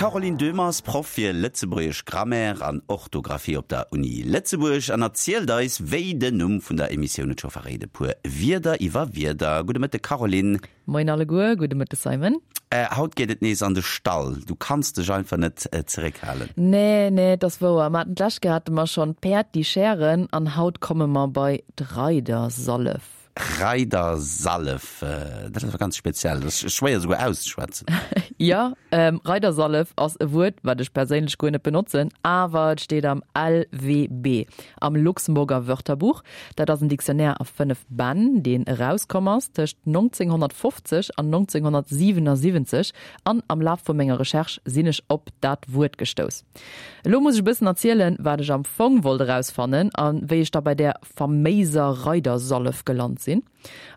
D'Caroline Döhmer ass Proff fir lëtzebuergesch Grammaire an Orthografie op der Uni Lëtzebuerg an erzielt eis, wéi den Numm vun der Emissioun et scho verréit, e puer Wierder iwwer Wierder. Gudde Mëtte Caroline. Moien alleguer, gudde Mëtte Simon. Haut geet et nees an de Stall. Du kanns dech einfach net zeréckhalen. Nee, nee, et ass wouer. Mer haten d'lescht Kéier hate mer schonn d'Päerd, déi schären an haut komme mer bei d'Reidersallef. Reidersallef, dat ass awer ganz speziell, dat ass schwéier esouguer auszeschwätzen. Jo, Reidersallef ass e Wuert, wat ech perséinlech guer net benotzen, awer et steet am LWB, am Luxemburger Wörterbuch. Dat ass en Dictionnaire a 5 Bänn, deen erauskomm ass tëscht 1950 an 1977, an am Laf vu menger Recherche sinn ech op dat Wuert gestouss. Elo muss ech e bëssen erzielen, wat ech am Fong wollt erausfannen a wéi ech da bei där faméiser Reidersallef gelant sinn.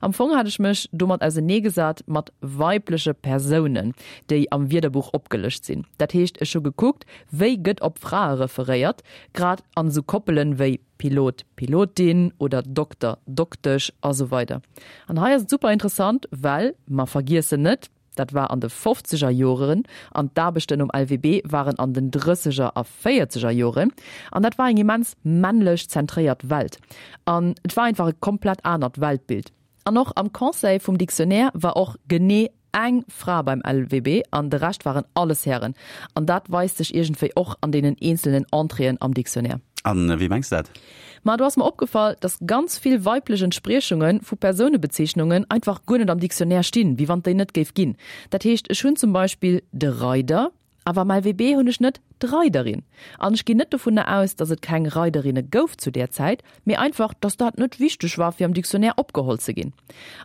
Am Fong hat ech mech domat auseneegesat mat weibleche Persounen, déi am Wierderbuch opgelëscht sinn. Dat heescht, ech hu gekuckt, wéi gëtt op Frae referéiert, grad an esou Koppelen wéi Pilot, Pilotin oder Dokter, Doktesch a sou weider. An hei ass et super interessant, well mer vergiessen net, Dat war an de fofzeger Joren an d'Aarbechten um LWB waren an den drësseger a véierzeger Joren. An dat war eng immens männlech zentréiert Welt. An et war einfach e komplett anert Weltbild. An och am Conseil vum Dictionnaire war och genee eng Fra beim LWB an de Rescht waren alles Hären. An dat weist sech iergendwéi och an deenen eenzelnen Entréeën am Dictionnaire. An wéi mengs de dat? Ma do ass mer opgefall, dass ganz vill weiblech Entspriechunge vu Persounebezeechnungen einfach guer net am Dictionnaire stinn, wéi wann et déi net géif ginn. Dat heescht, ech hunn zum Beispill de Reider, awer am LWB hunn ech net d'Reiderin. An ech ginn net dovunner aus, dass et keng Reiderinne gouf zu där Zäit, mee einfach, dass dat net wichteg war, fir am Dictionnaire opgeholl ze ginn.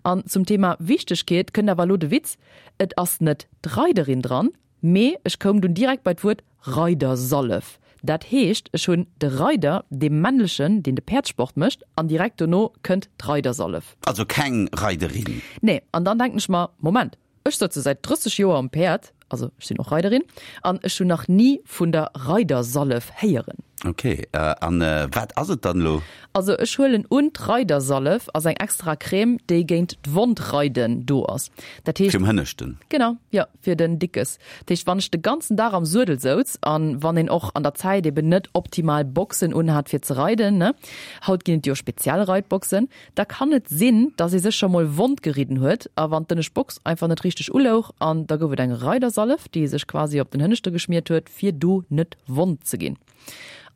An zum Thema Wichtegkeet kënnt awer elo de Witz, Et ass net d'Reiderin dran, Mee ech koum dunn direkt bei d'Wuert Reidersallef. Dat heescht, ech hunn de Reider, dee männlechen, deen de Päerdssport mécht, an direkt dono kënnt d'Reidersallef. Also keng Reiderin. Nee, an dann denken ech mer, Moment, ech sëtze säit 30 Joer um Päerd, also ech sinn och Reiderin, an ech hunn nach ni vun der Reidersallef héieren. Ok, an wat ass et dann elo? Also ech huelen un, d'Reidersallef ass eng extra Crème, déi géint d'Wondreiden do ass. Dat heescht. Fir um Hënneschten? Genau, jo, fir den Dickes. Dat heescht, wann ech de ganzen Dag am Suedel souz an wann een och an der Zäit eben net optimal Boxen unhat fir ze reiden, ne, haut ginn et jo speziell Reitboxen, da kann et sinn, dass ee sech scho mol wond geridden huet a wann d'ënnescht Box einfach net richteg ulouch an da gouf et eng Reidersallef, déi ee sech quasi op den Hënneschte geschmiert huet, fir do net wond ze ginn.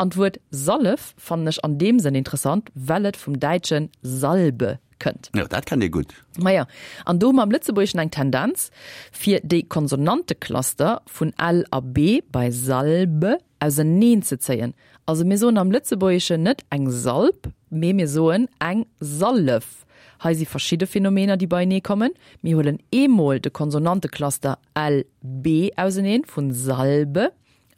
An d'Wuert Sallef fannen ech an deem Sënn interessant, well et vum däitsche Salbe kënnt. Jo, dat kennt ee gutt. Maja, an do hu mer am Lëtzebuergeschen eng Tendenz, fir déi Konsonantecluster vun l a b bei Salbe auseneen ze zéien. Also mir soen am Lëtzebuergeschen net eng Salb, mee mir soen eng Sallef. Hei si verschidde Phänomener, déi beienee kommen. Mir huelen eemol de Konsonantecluster l, b auseneen, vun Salbe,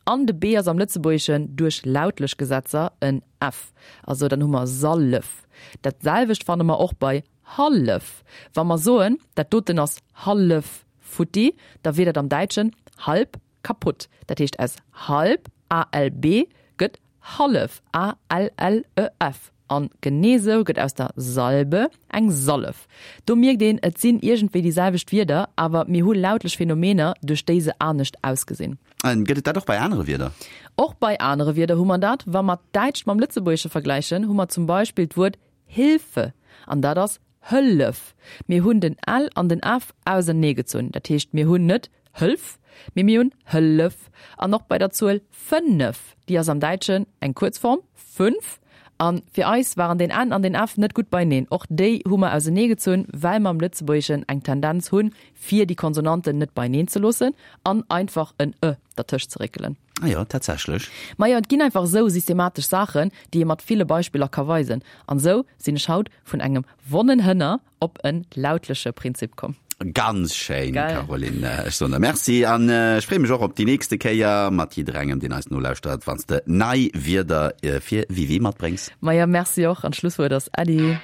an de b ass am Lëtzebuergeschen duerch lautlech Gesetzer en f, also dann hu mer Sallef. Dat selwecht fanne mer och bei hallef. Wa mer soen, dat doten ass hallef futti, da wier dat am Däitschen halb kaputt. Dat heescht aus halb, a-l-b, gëtt hallef, a-l-l-e-f. An genee sou gëtt aus der Salbe eng Sallef. Do mierkt een, et sinn iergendwéi déi selwecht Wierder, awer mir hu lautlech Phänomener, duerch déi se anescht ausgesinn. Gëtt et dat och bei anere Wierder? Och bei anere Wierder hu mer dat. Wa mer d'Däitscht mam Lëtzebuergesche vergläichen, hu mer zum Beispill d'Wuert Hilfe, an dat ass Hëllef. Mir hunn den l an den f auserneegezunn. Dat heescht, mir hunn net Hëlf, mee mir hunn Hëllef. An och bei der Zuel fënnef, déi ass am Däitschen eng Kuerzform, fünf. A fir eis waren den n an den f net gutt beieneen. Och déi hu mer auserneegezunn, well mer am Lëtzebuergeschen eng Tendenz hunn, fir déi Konsonanten net beieneen ze loossen an einfach en e dertëscht ze réckelen. Ah jo, tatsächlech. Majo, et ginn einfach esou systematesch Saachen, déi ee mat ville Beispiller ka weisen. An esou sinn ech haut vun engem wonnen Hënner op en lautleche Prinzip komm. Ganz schéin, Caroline. Ech soen der Merci an ech freeë mech och op déi nächste Kéier mat jidderengem, deen eis nolauschtert, wann s de nei Wierder fir Wiwi matbréngs. Majo, Merci och an d'Schlusswuert ass Äddi.